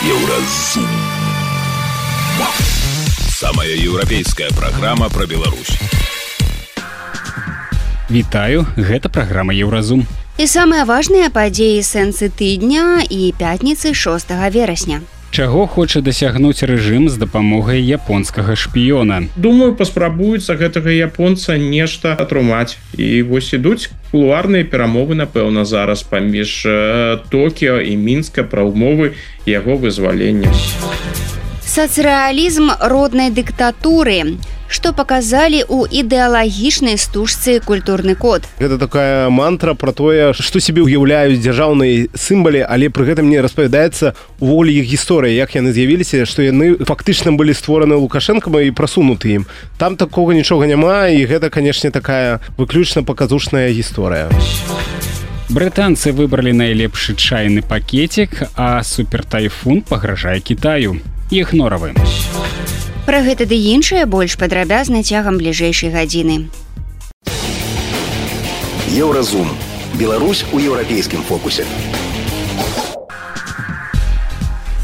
Еўразум. Самая еўрапейская праграма пра Беларусь. Вітаю, гэта праграма Еўразум. І самыя важныя падзеі сэнсы тыдня і пятніцы 6 верасня. Чаго хоча дасягнуць рэжым з дапамогай японскага шпіёна? Думаю, паспрабуюцца гэтага японца нешта атрымаць. І вось ідуць кулуарныя перамовы, напэўна, зараз паміж Токіо і Мінска пра ўмовы яго вызвалення. Сацрэалізм роднай дыктатуры. Што паказалі ў ідэалагічнай стужцы «Культурны код». Гэта такая мантра пра тое, што сябе ўяўляюць дзяржаўныя сімвалы, але пры гэтым не распавядаецца увогуле іх гісторыя, як яны з'явіліся, што яны фактычна былі створаны Лукашэнкам і прасунуты ім. Там такога нічога няма, і гэта, канешне, такая выключна паказушная гісторыя. Брытанцы выбралі найлепшы чайны пакетик, а супертайфун пагражае Кітаю. Ігноравы. Пра гэта ды іншае больш падрабязна цягам бліжэйшай гадзіны. Еўразум. Беларусь у еўрапейскім фокусе.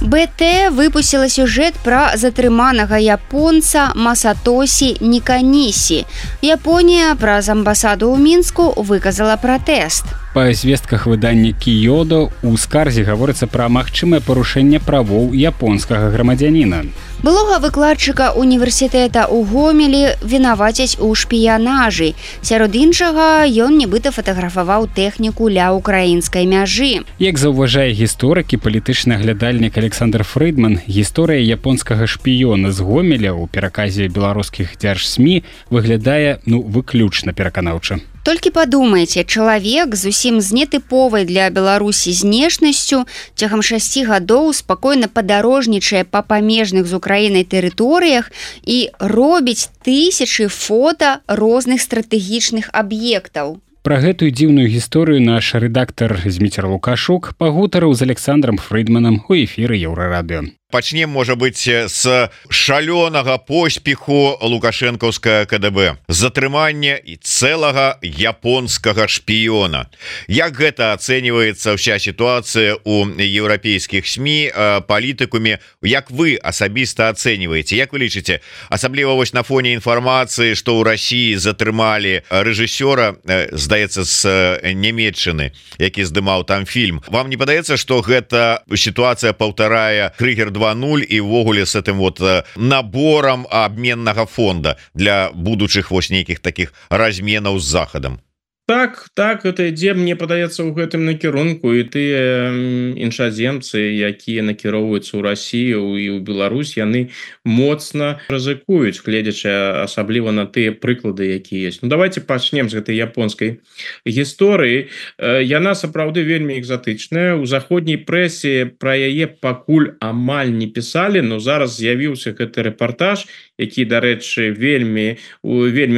БТ выпусціла сюжэт пра затрыманага японца Масатосі Ніканісі. Японія праз амбасаду ў Мінску выказала пратэст. Па звестках выдання Кіёдо ў скарзе гаворыцца пра магчымае парушэнне правоў японскага грамадзяніна. Былога выкладчыка універсітэта ў Гомелі вінавацяць у шпіянажы. Сярод іншага, ён нібыта фатаграфаваў тэхніку ля ўкраінскай мяжы. Як заўважае гісторык і палітычны аглядальнік Александр Фрыдман, гісторыя японскага шпіёна з Гомеля ў пераказе беларускіх дзяржсмі выглядае, выключна пераканаўча. Толькі падумайце, чалавек зусім з нетыповай для Беларусі знешнасцю цягам 6 гадоў спакойна падарожнічае па памежных з Украінай тэрыторыях і робіць тысячы фота розных стратэгічных аб'ектаў. Пра гэтую дзіўную гісторыю наш рэдактар Зміцер Лукашук пагутарыў з Александром Фрыдманам у эфіры Еўрарадыё. Пачнем, можа быць, з шалёнага поспеху лукашэнкаўскага КДБ, затрымання і цэлага японскага шпіёна. Як гэта ацэньваецца ўся сітуацыя ў еўрапейскіх СМІ, палітыкуме? Як вы асабіста ацэньваеце? Як вы лічыце? Асабліва вось на фоне інфармацыі, што ў Расіі затрымалі рэжысёра, здаецца, з Нямецчыны, які здымаў там фільм. Вам не падаецца, што гэта сітуацыя паўтарае Крыгер 2.0 і ўвогуле с этим набором абменнага фонда для будучых вось нейкіх таких разменаў з захадам? Так, гэта ідзе, мне падаецца, у гэтым накірунку, і тыя іншаземцы, якія накіроўваюцца ў Расію і ў Беларусь, яны моцна рызыкуюць, гледзячы асабліва на тыя прыклады, якія ёсць. Давайте пачнем з гэтай японскай гісторыі. Яна сапраўды вельмі экзатычная. У заходняй прэсе пра яе пакуль амаль не пісалі, но зараз з'явіўся гэты рэпартаж, які, дарэчы, вельмі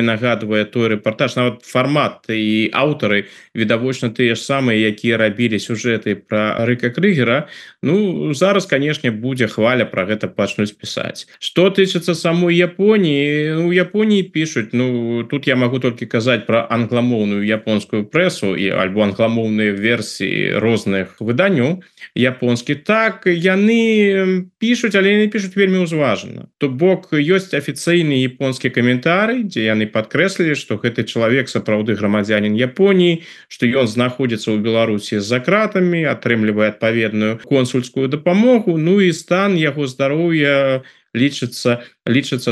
нагадвае той рэпартаж, нават фармат і аўтары відавочна тыя ж самыя, якія рабілі сюжэты пра Рыка Крыгера. Зараз, канешне, будзе хваля пра гэта пачнуць пісаць. Што тычыцца самой Японіі, у Японіі пішуць, тут я магу толькі казаць пра англамоўную японскую прэсу альбо англамоўныя версіі розных выданняў японскіх. Так, яны пішуць, але яны пішуць вельмі ўзважана. То бок, ёсць афіцыйны японскі каментарый, дзе яны падкрэслілі, што гэты чалавек сапраўды грамадзянін Японіі, што ён знаходзіцца ў Беларусі з-за кратамі, атрымлівае адпаведную консульскую дапамогу, і стан яго здароўя лічыцца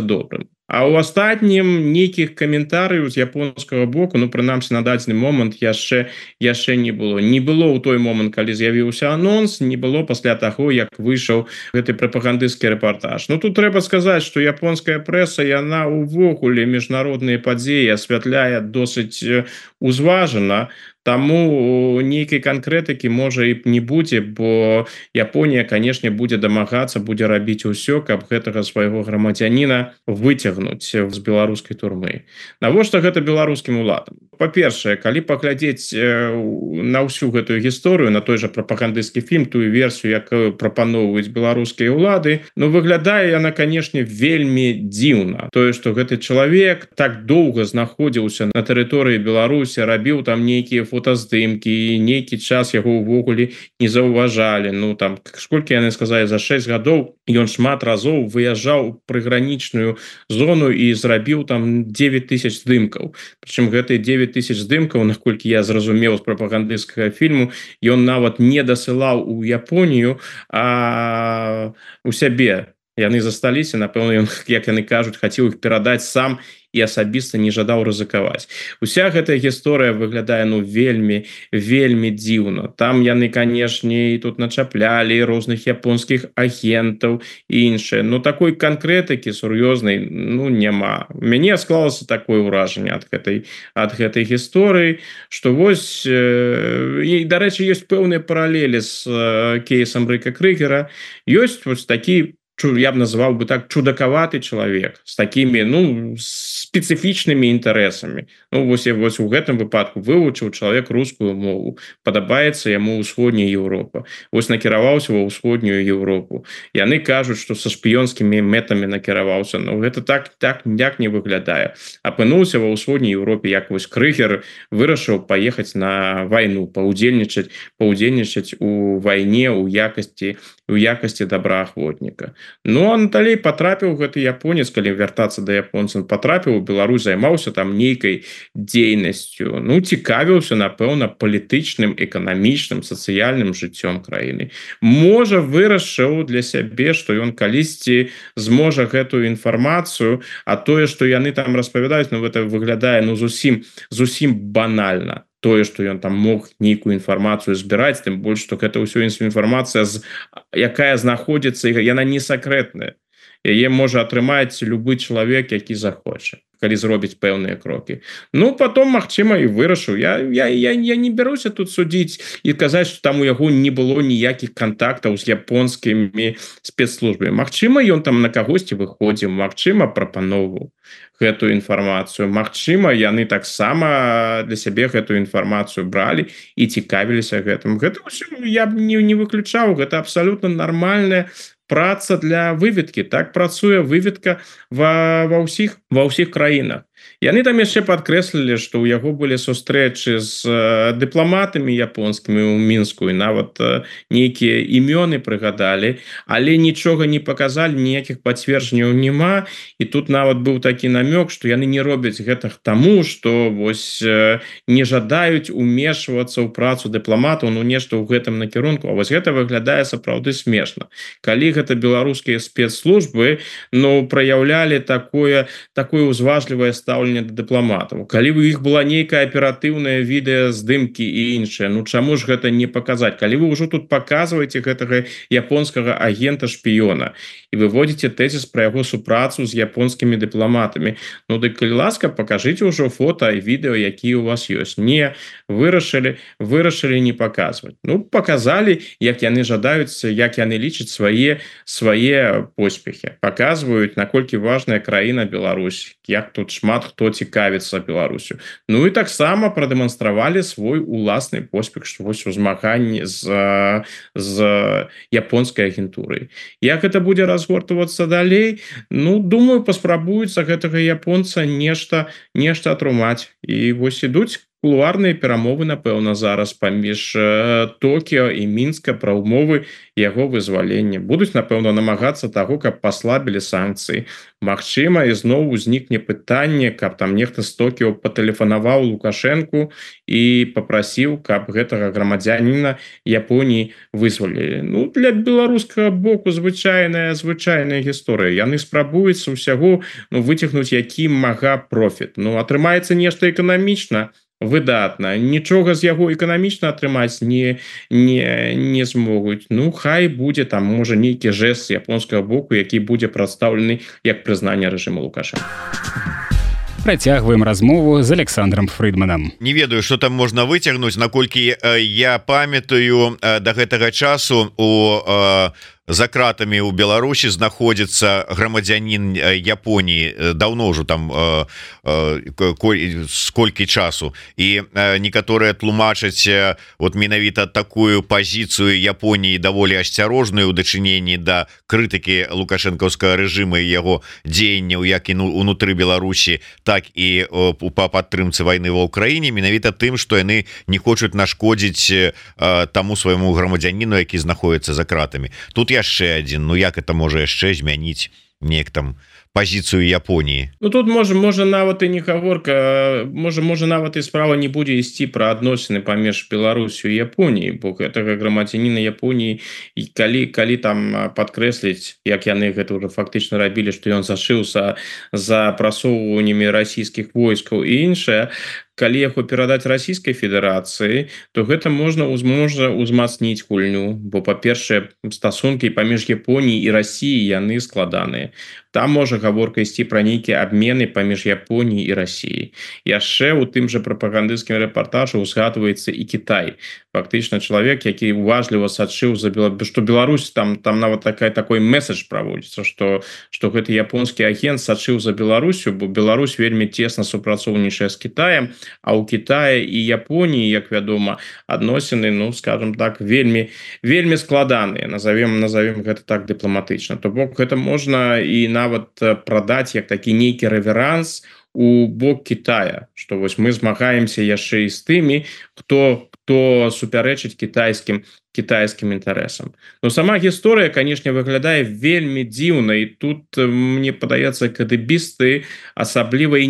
добрым. А ў астатнім нейкіх каментарыяў з японскага боку, прынамсі на дадзены момант яшчэ не было. Не было ў той момант, калі з'явіўся анонс, не было пасля таго, як выйшаў гэты прапагандысцкі рэпартаж. Тут трэба сказаць, што японская прэса, яна ўвогуле міжнародныя падзеі асвятляе досыць узважана, таму нейкай канкрэтыкі можа і не будзе, бо Японія, канешне, будзе дамагацца, будзе рабіць усё, каб гэтага свайго грамадзяніна выцягнуць з беларускай турмы. Навошта гэта беларускім уладам? Па-першае, калі паглядзець на ўсю гэтую гісторыю, на той жа прапагандысцкі фільм, тую версію, якую прапаноўваюць беларускія ўлады, выглядае яна, канешне, вельмі дзіўна. Тое, што гэты чалавек так доўга знаходзіўся на тэрыторыі Беларусі, рабіў там нейкія фотаздымкі, нейкі час яго ўвогуле не заўважалі. Ну там сколькі яны сказалі, за 6 гадоў ён шмат разоў выязджаў прыгранічную зону і зрабіў там 9000 здымкаў. Прычым гэтыя 9000 здымкаў, наколькі я зразумеў з прапагандысцкага фільму, ён нават не дасылаў у Японію, а у сябе. Яны засталіся, напэўна, ён, як яны кажуць, хацеў іх перадаць сам і асабіста не жадаў рызыкаваць. Уся гэтая гісторыя выглядае вельмі дзіўна. Там яны, канешне, і тут начаплялі розных японскіх агентаў і іншае. Но такой канкрэтыкі сур'ёзнай няма. У мяне склалася такое ўражанне ад гэтай гісторыі, што вось, і, дарэчы, ёсць пэўныя паралелі з кейсам Рыка Крыгера. Ёсць вось такі, я б назваў бы так, чудакаваты чалавек з такімі спецыфічнымі інтарэсамі. Вось у гэтым выпадку вывучыў чалавек рускую мову, падабаецца яму ўсходняя Еўропа, вось накіраваўся ва ўсходнюю Еўропу. Яны кажуць, што са шпіёнскімі мэтамі накіраваўся, но гэта так не выглядае. Апынуўся ва ўсходняй Еўропе, як вось Крыгер вырашыў паехаць на вайну, паўдзельнічаць у вайне ў якасці добраахвотніка. Ну, а далей патрапіў гэты японец, калі вяртацца да японцаў, патрапіў у Беларусь, займаўся там нейкай дзейнасцю, цікавіўся, напэўна, палітычным, эканамічным, сацыяльным жыццём краіны. Можа, вырашыў для сябе, што ён калісьці зможа гэтую інфармацыю, а тое, што яны там распавядаюць, гэта выглядае зусім банальна. Тое, што ён там мог нейкую інфармацыю збіраць, тым больш, што гэта ўсё інфармацыя, якая знаходзіцца, яна не сакрэтная. Яе можа атрымаць любы чалавек, які захоча, калі зробіць пэўныя крокі. Потом, магчыма, і вырашыў. Я не бяруся тут судзіць і казаць, што там у яго не было ніякіх кантактаў з японскімі спецслужбамі. Магчыма, ён там на кагосьці выходзіў, магчыма, прапаноўваў гэтую інфармацыю. Магчыма, яны таксама для сябе гэтую інфармацыю бралі і цікавіліся гэтым. Гэта ўсё я б не выключаў, гэта абсалютна нармальная праца для выведкі. Так працуе выведка ва ўсіх краінах. Яны там яшчэ падкрэслілі, што ў яго былі сустрэчы з дыпламатамі японскімі ў Мінску і нават нейкія імёны прыгадалі, але нічога не паказалі, ніякіх пацверджанняў няма. І тут нават быў такі намёк, што яны не робяць гэтага таму, што вось не жадаюць умешвацца ў працу дыпламатаў, нешта ў гэтым накірунку. А вось гэта выглядае сапраўды смешна. Калі гэта беларускія спецслужбы праяўлялі такое узважлівае стаўленне да дыпламатаў. Калі у іх была нейкая аператыўная відэаздымкі і іншае, чаму ж гэта не паказаць? Калі вы ўжо тут паказваеце гэтага японскага агента-шпіёна і выводзіце тэзіс пра яго супрацу з японскімі дыпламатамі, дык, калі ласка, пакажыце ўжо фота і відэо, якія у вас ёсць. Не, вырашылі не паказваць. Паказалі, як яны жадаюць, як яны лічаць свае поспехі. Паказваюць, наколькі важная краіна Беларусь, як тут шмат хто цікавіцца Беларусю. І таксама прадэманстравалі свой уласны поспех, што вось у змаганні з японскай агентурай. Як гэта будзе разгортвацца далей? Думаю, паспрабуюць за гэтага японца нешта атрымаць. І вось ідуць кулуарныя перамовы, напэўна, зараз паміж Токіо і Мінска пра ўмовы яго вызвалення. Будуць, напэўна, намагацца таго, каб паслабілі санкцыі. Магчыма, ізноў узнікне пытанне, каб там нехта з Токіо патэлефанаваў Лукашэнку і папрасіў, каб гэтага грамадзяніна Японіі вызвалілі. Для беларускага боку звычайная гісторыя. Яны спрабуюцца ўсяго выцягнуць які мага профіт. Атрымаецца нешта эканамічна, выдатна. Нічога з яго эканамічна атрымаць не змогуць. Хай будзе там, можа, нейкі жэст з японскага боку, які будзе прадстаўлены як прызнанне рэжыму Лукашэнка. Працягваем размову з Александром Фрыдманам. Не ведаю, што там можна выцягнуць, наколькі я памятаю, да гэтага часу у за кратамі ў Беларусі знаходзіцца грамадзянін Японіі даўно ўжо там сколькі часу, і некаторыя тлумачаць вот менавіта такую пазіцыю Японіі даволі асцярожную ў дачыненні да крытыкі лукашэнкаўскага рэжыма і яго дзеянняў як і унутры Беларусі, так і па падтрымцы вайны ва ўкраіне, менавіта тым, што яны не хочуць нашкодзіць таму свайму грамадзяніну, які знаходіцца за кратамі. Тут яшчэ адзін, ну як это можа яшчэ змяніць неяк там пазіцыю Японіі? Ну тут можа нават і не гаворка, можа нават і справа не будзе ісці пра адносіны паміж Беларусю і Японіяй, бо гэтага грамадзяніна Японіі, і калі там падкрэсліць, як яны гэта ўжо фактычна рабілі, што ён зашыўся за прасоўваннямі расійскіх войскаў і іншае, калі яго перадаць Расійскай Федэрацыі, то гэта можна ўзмацніць гульню, бо па-першае, стасункі паміж Японіяй і Расіяй яны складаныя. Там можа гаворка ісці пра нейкія абмены паміж Японіяй і Расіяй. Яшчэ ў тым жа прапагандысцкім рэпартажы ўзгадваецца і Кітай. Фактычна чалавек, які уважліва сачыў за што Беларусь, там нават такой месседж праводзіцца, што гэты японскі агент сачыў за Беларусю, бо Беларусь вельмі цесна супрацоўнічае з Кітаем, а ў Кітаі і Японіі, як вядома, адносіны, ну, скажем так, вельмі складаныя, назовем гэта так дыпламатычна. То бок гэта можна і нават прадаць як такі нейкі рэверанс у бок Кітая, што вось мы змагаемся яшчэ і з тымі, хто супярэчыць кітайскім інтарэсам. Но сама гісторыя, канешне, выглядае вельмі дзіўна, і тут, мне падаецца, кадыбісты асабліва і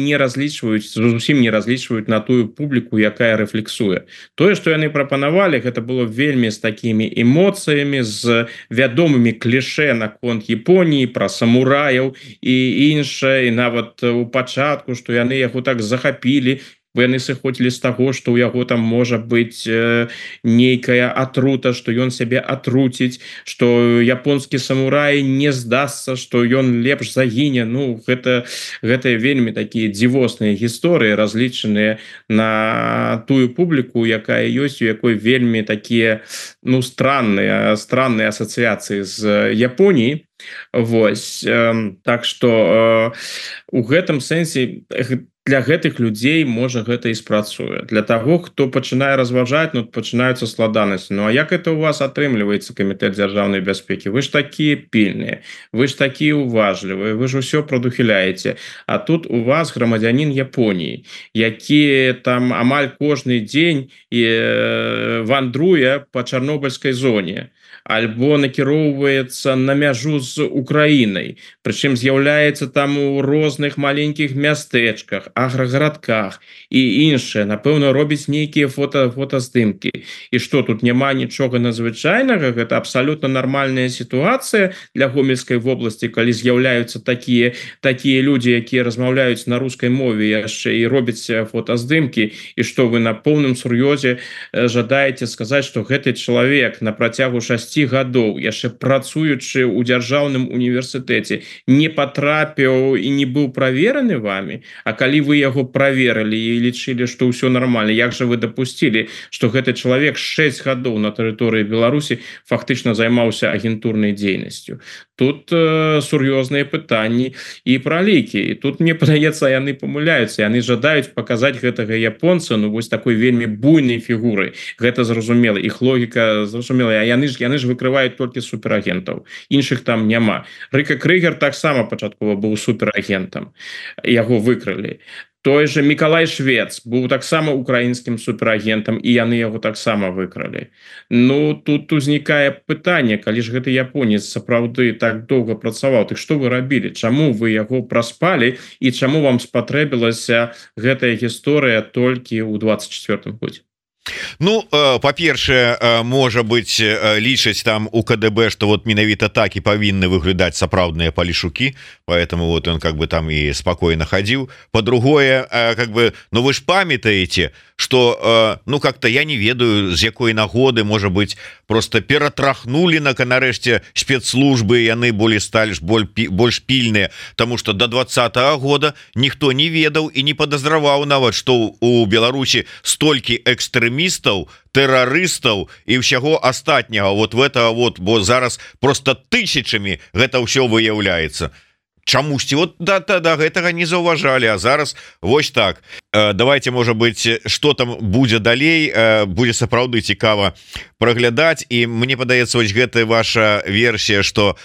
зусім не разлічваюць на тую публіку, якая рэфлексуе. Тое, што яны прапанавалі, гэта было вельмі з такімі эмоцыямі, з вядомымі клішэ наконт Японіі, пра самураяў і іншае, і нават у пачатку, што яны яго так захапілі, бо яны сыходзілі з таго, што ў яго там можа быць нейкая атрута, што ён сябе атруціць, што японскі самурай не здасца, што ён лепш загіне. Ну, гэта вельмі такія дзівосныя гісторыі, разлічаныя на тую публіку, якая ёсць, у якой вельмі такія, ну, странныя асацыяцыі з Японіяй. Вось, так што у гэтым сэнсе для гэтых людзей можа гэта і спрацуе. Для таго, хто пачынае разважаць, ну, пачынаюцца складанасці. Ну, а як это у вас атрымліваецца, Камітэт дзяржаўнай бяспекі? Вы ж такія пільныя, вы ж такія уважлівыя, вы ж усё прадухіляеце. А тут у вас грамадзянін Японіі, які там амаль кожны дзень вандруе па Чарнобыльскай зоне, альбо накіроўваецца на мяжу з Украінай, прычым з'яўляецца там у розных маленькіх мястэчках, аграгарадках і іншае, напэўна, робіць нейкія фотаздымкі. І што, тут няма нічога надзвычайнага? Гэта абсалютна нармальная сітуацыя для Гомельскай вобласці, калі з'яўляюцца такія людзі, якія размаўляюць на рускай мове яшчэ і робяць фотаздымкі, і што вы на поўным сур'ёзе жадаеце сказаць, што гэты чалавек на працягу 6 гадоў, яшчэ працуючы ў дзяржаўным універсітэце, не патрапіў і не быў правераны вамі? А калі вы яго праверылі і лічылі, што ўсё нармальна, як жа вы дапусцілі, што гэты чалавек 6 гадоў на тэрыторыі Беларусі фактычна займаўся агентурнай дзейнасцю? Тут сур'ёзныя пытанні і пра лікі. І тут, мне падаецца, яны памыляюцца. Яны жадаюць паказаць гэтага японца, ну, вось такой вельмі буйнай фігурай. Гэта зразумела. Іх логіка зразумела. А яны ж выкрываюць толькі суперагентаў. Іншых там няма. Рыка Крыгер таксама пачаткова быў суперагентам. Яго выкрылі. Той же Мікалай Швец быў таксама украінскім суперагентам, і яны яго таксама выкралі. Ну, тут узнікае пытанне, калі ж гэты японец сапраўды так доўга працаваў, так што вы рабілі? Чаму вы яго праспалі і чаму вам спатрэбілася гэтая гісторыя толькі ў 24-м годзе? Ну, па-першае, можа быць, лічаць там у КДБ, што вот менавіта так і павінны выглядаць сапраўдныя палішукі, поэтому вот он как бы там і спакойна хадзіў. По-другое, как бы, ну вы ж памятаеце, что ну как-то я не ведаю, з якой нагоды, можа быть, просто ператрахнули нарэшце спецслужбы, яны болей сталі больш пільныя, тому что до 2020 года ніхто не ведаў і не падазраваў нават, што у Беларусі столькі экстрэмістаў, тэрарыстаў і ўсяго астатняга вот в это вот, бо зараз просто тысячамі гэта ўсё выяўляецца. Чамусьці вот да гэтага не заўважалі, а зараз вось так. Давайте, можа быть, что там будзе далей, будзе сапраўды цікава праглядаць. І мне падаецца, вось гэтая ваша версія, что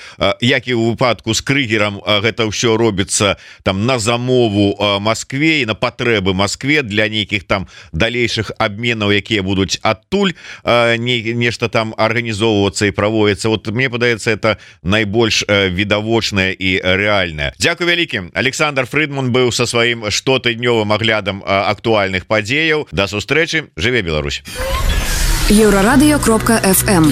як і ў выпадку з Крыгерам, гэта ўсё робіцца там на замову Москве і на патрэбы Москве для нейкіх там далейшых абменаў, якія будуць адтуль нешта там арганізоўвацца і праводзіцца. Вот мне падаецца, это найбольш відавочнае і рэальнае. Дзякуй вялікім. Александр Фридман быў са сваім штотыднёвым аглядам актуальных падзеяў. Да сустрэчы. Жыве Беларусь. Еўрарадыё.фм.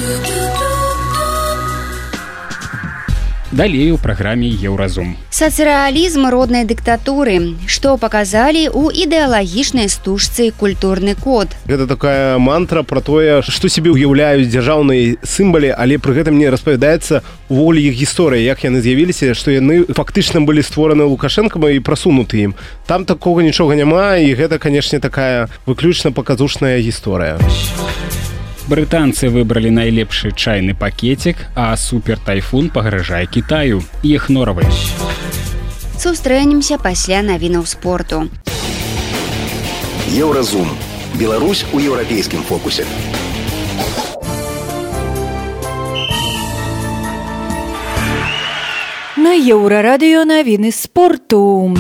Далей у праграме Еўразум. Сацырэалізм роднай дыктатуры. Што паказалі ў ідэалагічнай стужцы «Культурны код». Гэта такая мантра про тое, што сябе ўяўляюць дзяржаўныя сімвалы, але пры гэтым не распавядаецца увогуле іх гісторыя, як яны з'явіліся, што яны фактычна былі створаны Лукашэнкам і прасунуты ім. Там такога нічога няма, і гэта, канешне, такая выключна паказушная гісторыя. Брытанцы выбралі найлепшы чайны пакетик, а супер-тайфун пагражае Китаю. Іх норавы. Сустрэнемся пасля навінаў спорту. Еўразум. Беларусь у еўрапейскім фокусе. На Еўрарадыё навіны спорту.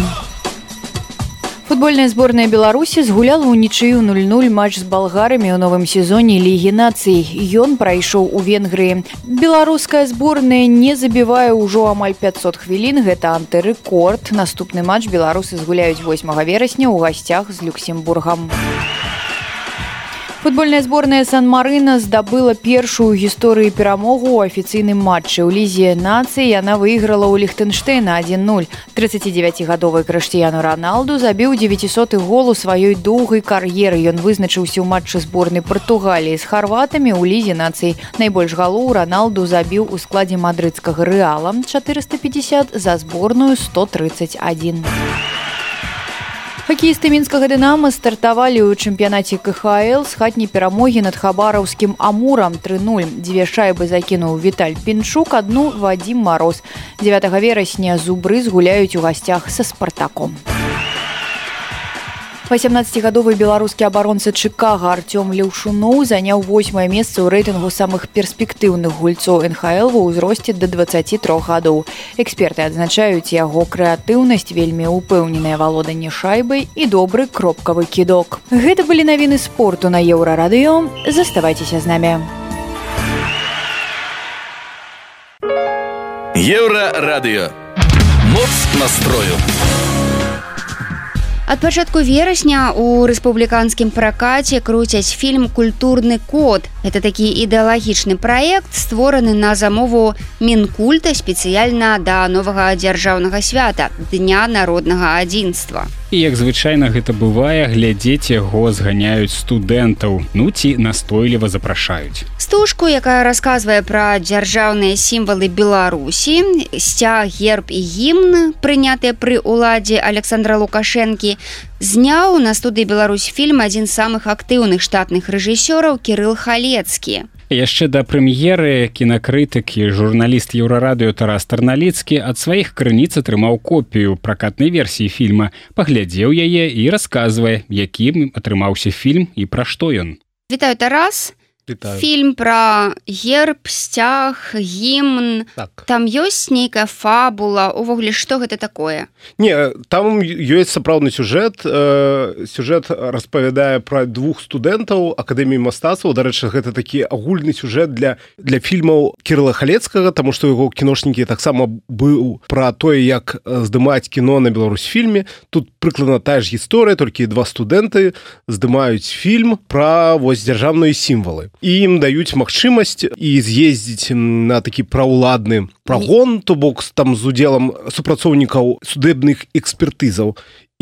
Футбольная зборная Беларусі згуляла ўнічыю 0-0 матч з балгарамі ў новым сезоне Лігі нацый. Ён прайшоў у Венгрыі. Беларуская зборная не забівае ўжо амаль 500 хвілін. Гэта антырэкорд. Наступны матч беларусы згуляюць 8 верасня ў гасцях з Люксембургам. Футбольная зборная Сан-Марына здабыла першую ў гісторыі перамогу ў афіцыйным матчы. У Лізе нацый яна выйграла ў Ліхтэнштэйна 1-0. 39-гадовы Крыштыяну Роналду забіў 900-ы гол у сваёй доўгай кар'еры. Ён вызначыўся ў матчы зборнай Партугаліі з харватамі ў Лізе нацый. Найбольш галоў Роналду забіў у складзе мадрыдскага Рэала 450, за зборную 131. Хакеісты мінскага «Дынама» стартавалі ў чэмпіянаце КХЛ з хатняй перамогі над хабараўскім «Амурам» 3-0. 2 шайбы закінуў Віталь Пінчук, 1 Вадзім Мароз. 9 верасня зубры згуляюць у гасцях са «Спартаком». 18-гадовы беларускі абаронца Чыкага Артём Леўшуноў заняў 8-е месца ў рэйтынгу самых перспектыўных гульцоў НХЛ ва ўзросце да 23 гадоў. Эксперты адзначаюць яго крэатыўнасць, вельмі ўпэўненае валоданне шайбай і добры кропкавы кідок. Гэта былі навіны спорту на Еўрарадыё. Заставайцеся з намі. Еўрарадыё. Моц настрою. Ад пачатку верасня ў рэспубліканскім пракаце круцяць фільм «Культурны код». Это такі ідэалагічны праект, створаны на замову Мінкульта спецыяльна да новага дзяржаўнага свята – Дня народнага адзінства. І як звычайна гэта бывае, глядзець яго зганяюць студэнтаў, ну ці настойліва запрашаюць. Стужку, якая расказвае пра дзяржаўныя сімвалы Беларусі, сцяг, герб і гімн, прынятыя пры ўладзе Александра Лукашэнкі, зняў на студыі «Беларусьфільм» адзін з самых актыўных штатных рэжысёраў Кірыл Халецкі. Яшчэ да прэм'еры кінакрытык і журналіст Еўрарадыё Тарас Тарналіцкі ад сваіх крыніц атрымаў копію пракатнай версіі фільма, паглядзеў яе і расказвае, якім атрымаўся фільм і пра што ён. Вітаю, Тарас. Вітаю. Фільм пра герб, сцяг, гімн. Так. Там ёсць нейкая фабула. Увогуле, што гэта такое? Не, там ёсць сапраўдны сюжэт. Сюжэт распавядае пра 2 студэнтаў Акадэміі мастацтваў. Дарэчы, гэта такі агульны сюжэт для фільмаў Кірыла Халецкага, таму што яго кіношнікі таксама быў пра тое, як здымаць кіно на Беларусьфільме. Тут прыкладна тая ж гісторыя, толькі 2 студэнты здымаюць фільм пра вось дзяржаўныя сімвалы. І ім даюць магчымасць і з'ездзіць на такі праўладны прагон, то бок там з удзелам супрацоўнікаў судебных экспертызаў.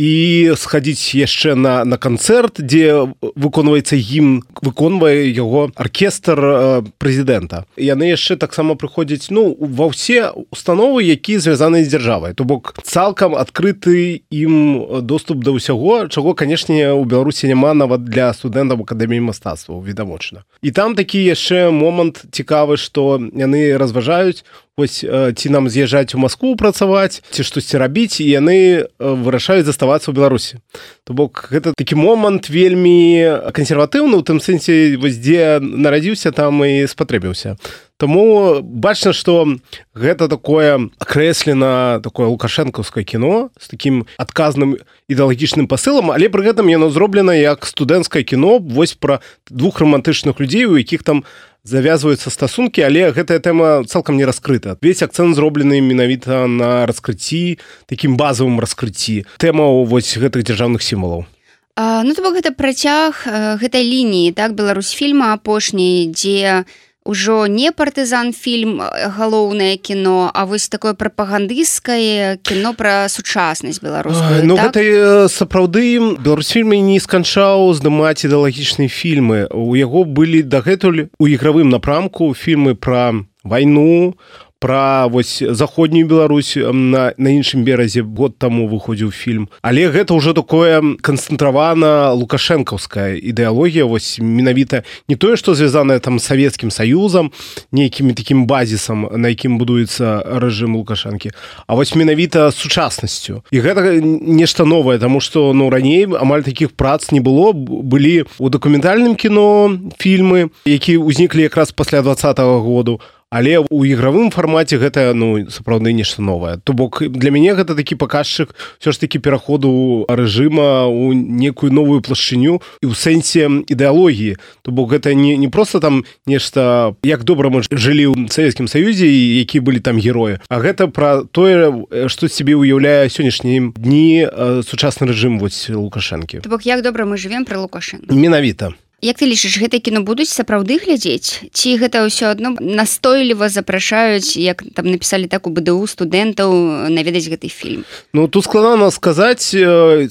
і схадзіць яшчэ на канцэрт, дзе выконваецца гімн, выконвае яго аркестр прэзідэнта. Яны яшчэ таксама прыходзяць ва ўсе установы, якія звязаны з дзяржавай. То бок цалкам адкрыты ім доступ да ўсяго, чаго, канешне, у Беларусі няма нават для студэнтаў акадэміі мастацтваў, відавочна. І там такі яшчэ момант цікавы, што яны разважаюць, вось ці нам з'язджаць у Маскву працаваць, ці штосьці рабіць, і яны вырашаюць заставацца ў Беларусі. То бок гэта такі момант вельмі кансерватыўны, у тым сэнсе, вось дзе нарадзіўся, там і спатрэбіўся. Таму бачна, што гэта такое акрэслена, такое лукашэнкаўскае кіно з такім адказным ідэалагічным пасылам, але пры гэтым яно зроблена як студэнцкае кіно вось пра двух рамантычных людзей, у якіх там завязваюцца стасункі, але гэтая тэма цалкам не раскрыта. Весь акцэнт зроблены менавіта на раскрыцці, такім базавым раскрыцці тэмаў вось гэтых дзяржаўных сімвалаў. То бок гэта працяг гэтай лініі, так, Беларусьфільма апошняй, дзе ўжо не партызан-фільм галоўнае кіно, а вось такое прапагандысцкае кіно пра сучаснасць беларускую. Так? Гэта сапраўды Беларусьфільм не сканчаў здымаць ідэалагічныя фільмы. У яго былі дагэтуль у ігравым напрамку фільмы пра вайну, пра вось заходнюю Беларусь, на іншым беразе год таму выходзіў фільм. Але гэта ўжо такое канцэнтравана лукашэнкаўская ідэалогія, вось менавіта не тое, што звязанае там з Савецкім Саюзам, нейкім такім базісам, на якім будуецца рэжым Лукашэнкі, а вось менавіта сучаснасцю. І гэта нешта новае, таму што раней амаль такіх прац не было. Былі ў дакументальным кіно фільмы, якія ўзніклі якраз пасля 20-го году, але ў ігравым фармаце гэта сапраўды нешта новае. То бок для мяне гэта такі паказчык ўсё ж такі пераходу рэжыма ў некую новую плашчыню і ў сэнсе ідэалогіі. То бок гэта не проста там нешта, як добра мы жылі ў Савецкім Саюзе і якія былі там героі, а гэта пра тое, што сябе ўяўляе сённяшнія дні сучасны рэжым вось Лукашэнкі. То бок як добра мы жывем пры Лукашэнку. Менавіта. Як ты лічыш, гэтае кіно будуць сапраўды глядзець? Ці гэта ўсё адно настойліва запрашаюць, як там напісалі так у БДУ, студэнтаў наведаць гэты фільм? Тут складана сказаць,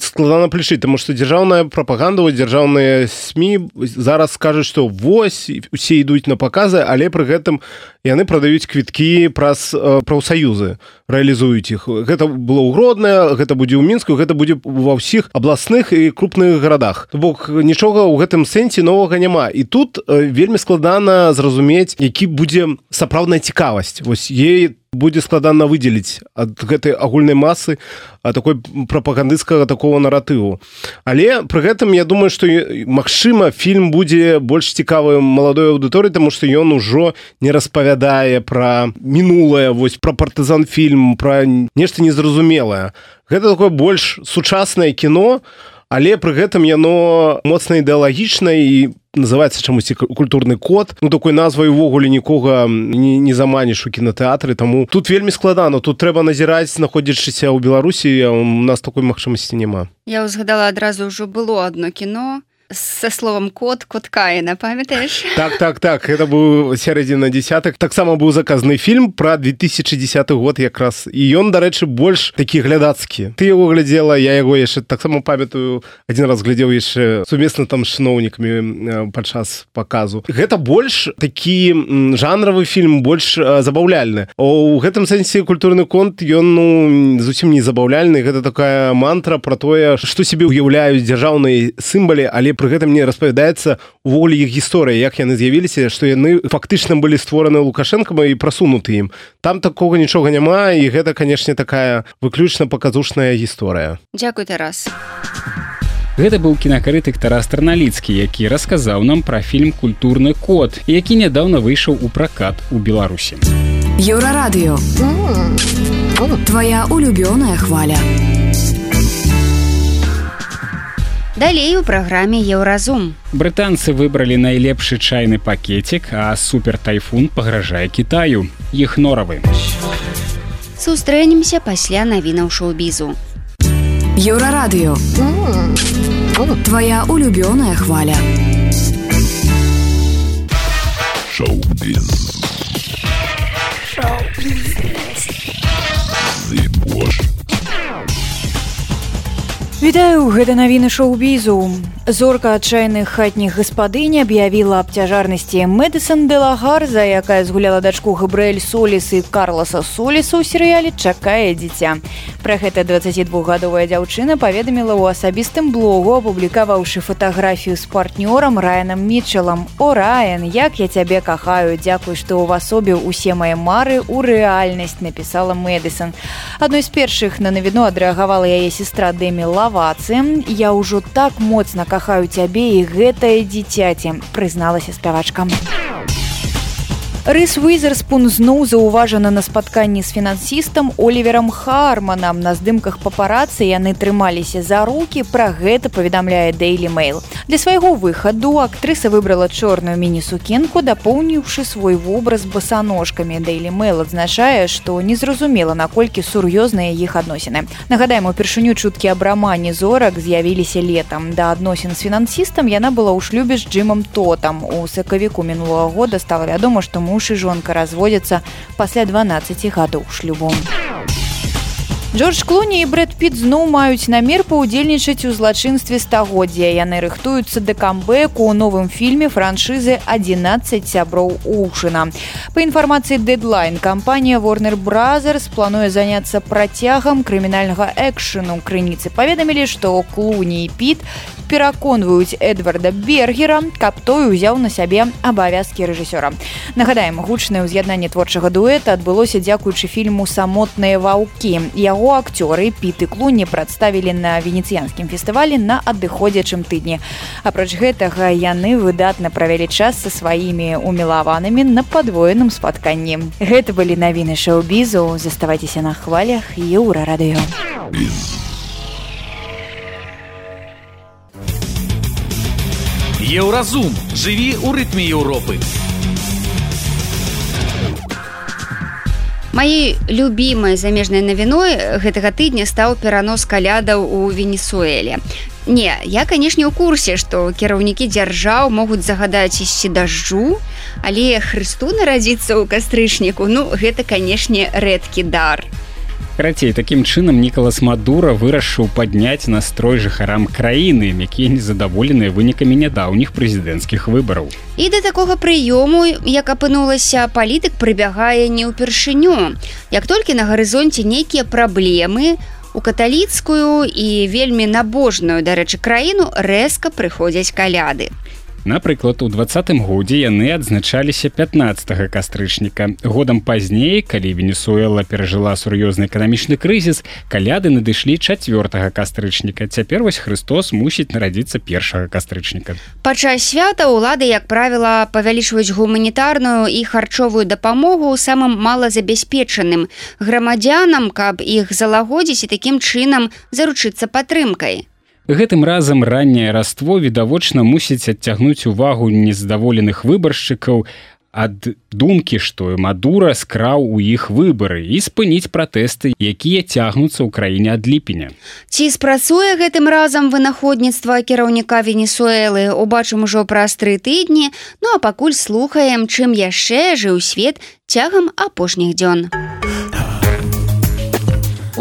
складана плечыць, таму што дзяржаўная прапаганда, дзяржаўныя СМІ зараз скажуць, што вось усе ідуць на паказы, але пры гэтым яны прадаюць квіткі праз прафсаюзы, рэалізуюць іх. Гэта было ў Гродна, гэта будзе ў Мінску, гэта будзе ва ўсіх абласных і крупных гарадах. То бок нічога ў гэтым сэнсе новага няма. І тут вельмі складана зразумець, які будзе сапраўдная цікавасць. Вось ей будзе складана выдзеліць ад гэтай агульнай масы такой прапагандысцкага такого наратыву. Але пры гэтым я думаю, што магчыма фільм будзе больш цікавы маладой аўдыторыі, таму што ён ужо не распавядае пра мінулае, вось пра партызан-фільм, пра нешта незразумелае. Гэта такое больш сучаснае кіно, але пры гэтым яно моцна ідэалагічна і называецца чамусьці культурны код. Такой назвай увогуле нікога не заманіш у кінотэатры, таму тут вельмі складана. Тут трэба назіраць, знаходзячыся ў Беларусі, а у нас такой магчымасці няма. Я узгадала адразу, ўжо было адно кіно со словом код Каіна, памятаеш? Так, гэта быў сярэдзіна дзесятых. Таксама быў заказаны фільм пра 2010 год якраз. І ён, дарэчы, больш такі глядацкі. Ты яго глядзела, я яго яшчэ таксама памятаю, адзін раз глядзеў яшчэ сумесна там з чыноўнікамі падчас паказу. Гэта больш такі жанравы фільм, больш забаўляльны. У гэтым сэнсе культурны конт, ён зусім не забаўляльны. Гэта такая мантра пра тое, што сябе ўяўляюць дзяржаўныя сімвалы, але пры гэтым не распавядаецца увогуле іх гісторыя, як яны з'явіліся, што яны фактычна былі створаны Лукашэнкам і прасунуты ім. Там такога нічога няма, і гэта, канешне, такая выключна паказушная гісторыя. Дзякуй, Тарас. Гэта быў кінакрытык Тарас Тарналіцкі, які расказаў нам пра фільм «Культурны код», які нядаўна выйшаў у пракат у Беларусі. Еўрарадыё. Твоя улюбёная хваля. Далей у праграме Еўразум. Брытанцы выбралі найлепшы чайны пакетик, а супертайфун пагражае Кітаю. Іх норавы. Сустрэнемся пасля навінаў шоу-бізу. Еўрарадыё. Твоя улюбёная хваля. Шоу-біз. Вітаю, гэта навіны шоу-бізу. Зорка адчайных хатніх гаспадынь аб'явіла аб цяжарнасці Мэдысон де ла Гарза, якая згуляла дачку Габрыэль Соліс і Карласа Соліса ў серыяле «Чакае дзіця». Пра гэта 22гадовая дзяўчына паведаміла ў асабістым блогу, апублікаваўшы фатаграфію з партнёрам Райанам Мітчелам. «О, Райан, як я цябе кахаю, дзякуй, што ўвасобіў усе мае мары ў рэальнасць», напісала Мэдысон. Адной з першых на навіну адрэагавала яе сестра Дэмі Лава. «Я ўжо так моцна кахаю цябе і гэтае дзіцяці», прызналася спявачка. Рис Уизерспун зноў заўважана на спатканні з фінансістам Оліверам Харманам. На здымках папарацы яны трымаліся за рукі, пра гэта паведамляе Daily Mail. Для свайго выхаду актрыса выбрала чорную міні-сукенку, дапоўніўшы свой вобраз басаножкамі. Daily Mail адзначае, што незразумела, наколькі сур'ёзныя іх адносіны. Нагадаем, упершыню чуткі аб рамане зорак з'явіліся летам. Да адносін з фінансістам яна была ў шлюбе з Джимом Тотам. У сакавіку мінулага года стала вядома, што муж і жонка разводзяцца пасля 12 гадоў шлюбу. Джордж Клуні і Брэд Піт зноў маюць намер паўдзельнічаць у злачынстве стагоддзя. Яны рыхтуюцца да камбэку ў новым фільме франшызы «11 сяброў Оушэна». Па інфармацыі Deadline, кампанія Warner Brothers плануе заняцца працягам крымінальнага экшэну. Крыніцы паведамілі, што Клуні і Піт пераконваюць Эдварда Бергера, каб той узяў на сябе абавязкі рэжысёра. Нагадаем, гучнае ўз'яднанне творчага дуэта адбылося дзякуючы фільму «Самотныя ваўкі». Яго акцёры Піт і Клуні прадставілі на венецыянскім фестывалі на адыходзячым тыдні. Апроч гэтага, яны выдатна правялі час са сваімі умілаванымі на падвоеным спатканні. Гэта былі навіны шоу-бізу. Заставайцеся на хвалях Еўрарадыё. Еўразум. Жыві ў рытме Еўропы. Маёй любімай замежнай навіной гэтага тыдня стаў перанос калядаў у Венесуэле. Не, я, канешне, у курсе, што кіраўнікі дзяржаў могуць загадаць ісці дажджу, але Хрысту нарадзіцца ў кастрычніку, гэта, канешне, рэдкі дар. Карацей, такім чынам Нікалас Мадура вырашыў падняць настрой жыхарам краіны, якія незадаволеныя вынікамі нядаўніх прэзідэнцкіх выбараў. І да такога прыёму, як апынулася, палітык прыбягае не ўпершыню. Як толькі на гарызонце нейкія праблемы, у каталіцкую і вельмі набожную, дарэчы, краіну рэзка прыходзяць каляды. Напрыклад, у 20-м годзе яны адзначаліся 15 кастрычніка. Годам пазней, калі Венесуэла перажыла сур'ёзны эканамічны крызіс, каляды надышлі 4 кастрычніка. Цяпер вось Хрыстос мусіць нарадзіцца 1 кастрычніка. Падчас свята ўлады, як правіла, павялічваюць гуманітарную і харчовую дапамогу самым малазабяспечаным грамадзянам, каб іх залагодзіць і такім чынам заручыцца падтрымкай. Гэтым разам ранняе раство відавочна мусіць адцягнуць увагу незадаволеных выбаршчыкаў ад думкі, што Мадура скраў у іх выбары і спыніць пратэсты, якія цягнуцца ў краіне ад ліпеня. Ці спрацуе гэтым разам вынаходніцтва кіраўніка Венесуэлы, убачым ужо праз 3 тыдні, а пакуль слухаем, чым яшчэ жыў свет цягам апошніх дзён.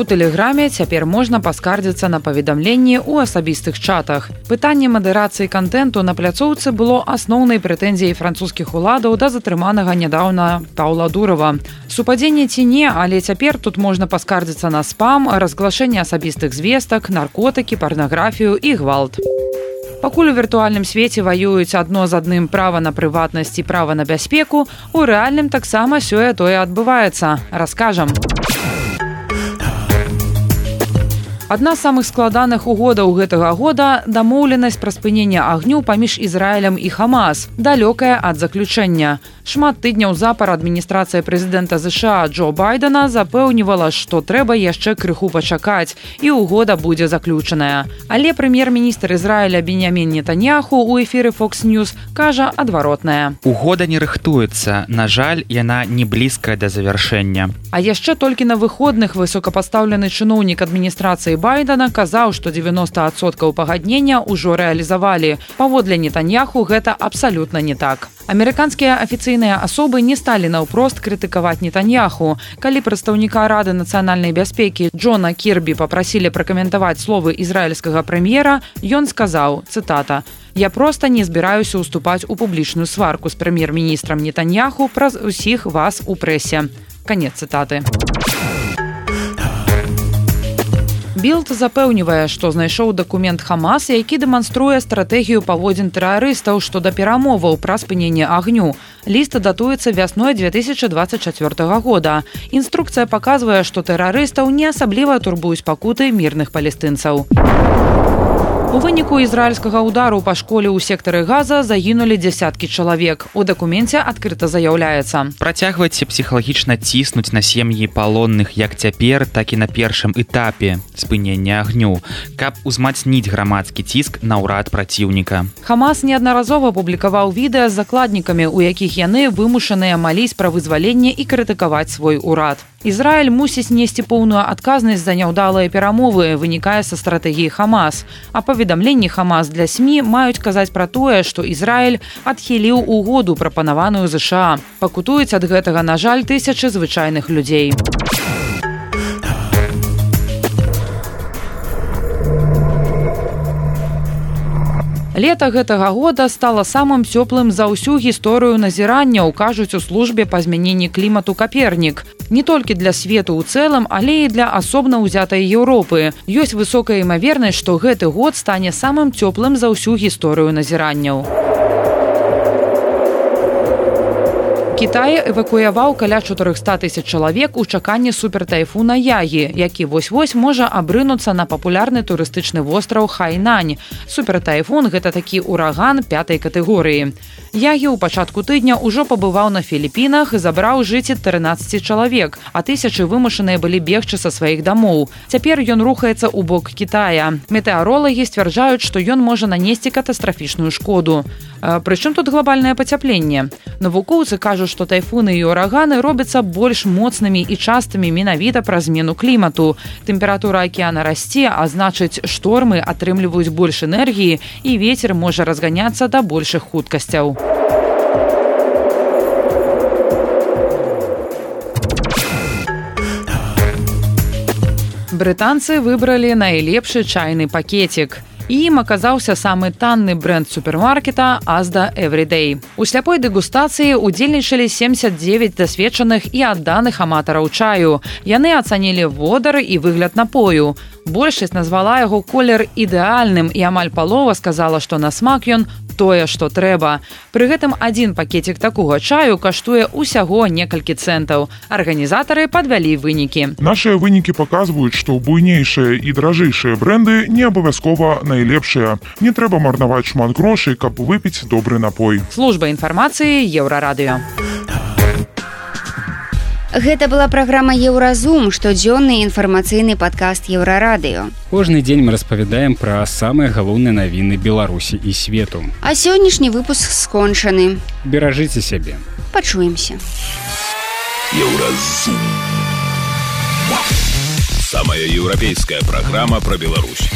У тэлеграме цяпер можна паскардзіцца на паведамленні ў асабістых чатах. Пытанне мадэрацыі кантэнту на пляцоўцы было асноўнай прэтэнзіяй французскіх уладаў да затрыманага нядаўна Паўла Дурава. Супадзенне ці не, але цяпер тут можна паскардзіцца на спам, разглашэнне асабістых звестак, наркотыкі, парнаграфію і гвалт. Пакуль у віртуальным свеце ваююць адно з адным права на прыватнасць і права на бяспеку, у рэальным таксама сёе-тое адбываецца. Раскажам. Адна з самых складаных угодаў гэтага года – дамоўленасць пра спыненне агню паміж Ізраілем і Хамас, далёкая ад заключэння. Шмат тыдняў запар адміністрацыя прэзідэнта США Джо Байдена запэўнівала, што трэба яшчэ крыху пачакаць, і угода будзе заключаная. Але прэм'ер-міністр Ізраіля Беньямін Нетаньяху ў эфіры Fox News кажа адваротнае. Угода не рыхтуецца. На жаль, яна не блізкая да завяршэння. А яшчэ толькі на выходных высокапастаўлены чыноўнік адміністрацыі Байдена казаў, што 90% пагаднення ўжо рэалізавалі. Паводле Нетаньяху гэта абсалютна не так. Амерыканскія афіцыйныя асобы не сталі наўпрост крытыкаваць Нетаньяху. Калі прадстаўніка Рады нацыянальнай бяспекі Джона Кірбі папрасілі пракаментаваць словы ізраільскага прэм'ера, ён сказаў, цытата: «Я проста не збіраюся ўступаць у публічную сварку з прэм'ер-міністрам Нетаньяху праз усіх вас у прэсе». Канец цытаты. Білд запэўнівае, што знайшоў дакумент Хамас, які дэманструе стратэгію паводзін тэрарыстаў што да перамоваў пра спыненне агню. Ліст датуецца вясной 2024 года. Інструкцыя паказвае, што тэрарыстаў не асабліва турбуюць пакуты мірных палестынцаў. У выніку ізраільскага ўдару па школе ў сектары Газа загінулі дзясяткі чалавек. У дакуменце адкрыта заяўляецца: працягвайце псіхалагічна ціснуць на сем'і палонных як цяпер, так і на першым этапе спынення агню, каб узмацніць грамадскі ціск на ўрад праціўніка. Хамас неаднаразова публікаваў відэа з закладнікамі, у якіх яны вымушаныя маліць пра вызваленне і крытыкаваць свой урад. Ізраіль мусіць несці поўную адказнасць за няўдалыя перамовы, вынікае са стратэгіі Хамас. А паведамленні Хамас для СМІ маюць казаць пра тое, што Ізраіль адхіліў угоду, прапанаваную ЗША. Пакутуюць ад гэтага, на жаль, тысячы звычайных людзей. Лета гэтага года стала самым цёплым за ўсю гісторыю назірання, кажуць у службе па змяненні клімату Капернік. Не толькі для свету ў цэлым, але і для асобна ўзятай Еўропы. Ёсць высокая імавернасць, што гэты год стане самым цёплым за ўсю гісторыю назіранняў. Кітай эвакуяваў каля 400 000 чалавек у чаканні супертайфуна Ягі, які вось-вось можа абрынуцца на папулярны турыстычны востраў Хайнань. Супертайфун – гэта такі ураган 5-й катэгорыі. Ягі ў пачатку тыдня ўжо пабываў на Філіпінах і забраў жыцці 13 чалавек, а тысячы вымушаныя былі бегчы са сваіх дамоў. Цяпер ён рухаецца ў бок Кітая. Метэаролагі сцвярджаюць, што ён можа нанесці катастрафічную шкоду. Прычым тут глобальнае пацяпленне? Навукоўцы кажуць, што тайфуны і ураганы робяцца больш моцнымі і частымі менавіта праз змену клімату. Тэмпература акіяна расце, а значыць, штормы атрымліваюць больш энергіі і вецер можа разганяцца да большых хуткасцяў. Брытанцы выбралі найлепшы чайны пакетик. І ім аказаўся самы танны бренд супермаркета Asda Everyday. У сляпой дэгустацыі удзельнічалі 79 дасведчаных і адданых аматараў чаю. Яны ацанілі водар і выгляд напою. Большасць назвала яго колер ідэальным і амаль палова сказала, што на смак ён тое, што трэба. Пры гэтым адзін пакетик такога чаю каштуе ўсяго некалькі цэнтаў. Арганізатары падвялі вынікі. Нашыя вынікі паказваюць, што буйнейшыя і дражэйшыя бренды не абавязкова найлепшыя. Не трэба марнаваць шмат грошай, каб выпіць добры напой. Служба інфармацыі Еўрарадыё. Гэта была праграма «Еўразум», штодзённы інфармацыйны падкаст Еўрарадыё. Кожны дзень мы распавядаем пра самыя галоўныя навіны Беларусі і свету. А сённяшні выпуск скончаны. Беражыце сябе. Пачуемся. Еўразум. Самая еўрапейская праграма пра Беларусь.